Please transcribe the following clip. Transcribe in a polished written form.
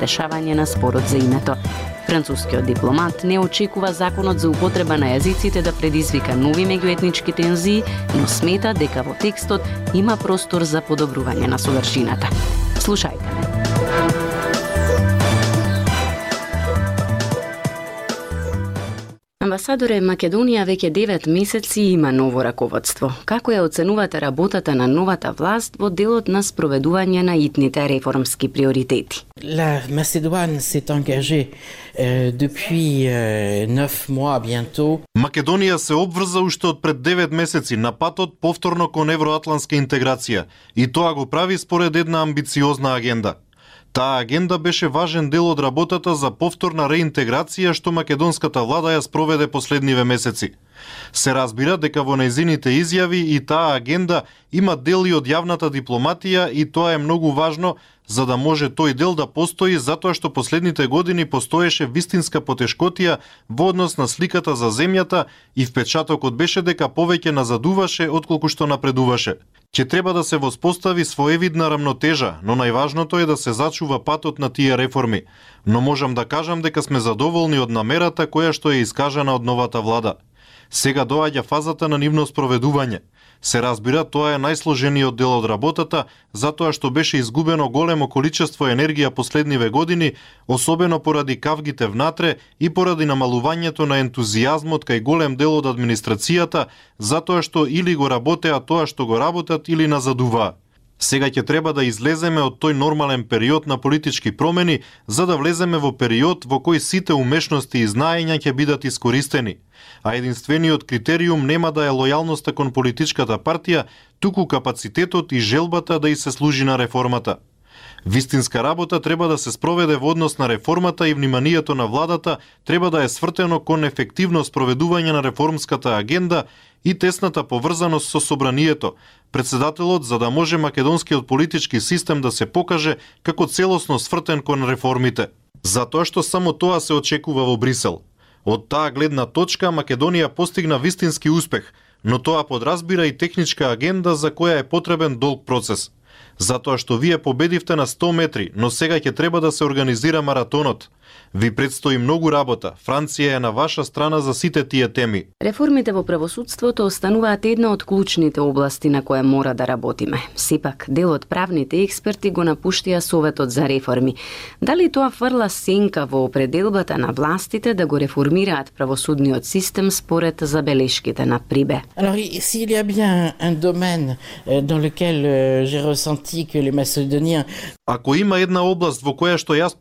решавање на спорот за името. Францускиот дипломат не очекува законот за употреба на јазиците да предизвика нови меѓуетнички тензии, но смета дека во текстот има простор за подобрување на содржината. Слушајте ме. Амбасадоре, Македонија веќе 9 месеци има ново раководство. Како ја оценувате работата на новата власт во делот на спроведување на итните реформски приоритети? La Macédoine s'est engagée depuis 9 mois bientôt. Македонија се обврза уште од пред 9 месеци на патот повторно кон евроатлантска интеграција и тоа го прави според една амбициозна агенда. Таа агенда беше важен дел од работата за повторна реинтеграција што македонската влада ја спроведе последниве месеци. Се разбира дека во нејзините изјави и таа агенда има дели од јавната дипломатија и тоа е многу важно за да може тој дел да постои затоа што последните години постоеше вистинска потешкотија во однос на сликата за земјата и впечатокот беше дека повеќе назадуваше отколку што напредуваше. Ќе треба да се воспостави своевидна рамнотежа, но најважното е да се зачува патот на тие реформи. Но можам да кажам дека сме задоволни од намерата која што е искажана од новата влада. Сега доаѓа фазата на нивно спроведување. Се разбира, тоа е најсложениот дел од работата, затоа што беше изгубено големо количество енергија последниве години, особено поради кавгите внатре и поради намалувањето на ентузијазмот кај голем дел од администрацијата, затоа што или го работеа тоа што го работат или назадуваа. Сега ќе треба да излеземе од тој нормален период на политички промени, за да влеземе во период во кој сите умешности и знаења ќе бидат искористени. А единствениот критериум нема да е лојалноста кон политичката партија, туку капацитетот и желбата да и се служи на реформата. Вистинска работа треба да се спроведе во однос на реформата и вниманието на владата треба да е свртено кон ефективно спроведување на реформската агенда и тесната поврзаност со собранието, председателот, за да може македонскиот политички систем да се покаже како целосно свртен кон реформите. Затоа што само тоа се очекува во Брисел. Од таа гледна точка Македонија постигна вистински успех, но тоа подразбира и техничка агенда за која е потребен долг процес. Затоа што вие победивте на 100 метри, но сега ќе треба да се организира маратонот. Ви предстои многу работа. Франција е на ваша страна за сите тие теми. Реформите во правосудството остануваат една од клучните области на која мора да работиме. Сепак, дел од правните експерти го напуштија Советот за реформи. Дали тоа фрла сенка во определбата на властите да го реформираат правосудниот систем според забелешките на Прибе? Alors, s'il y a bien un domaine dans lequel j'ai ressenti que les Macédoniens... Ако има една област во која што јас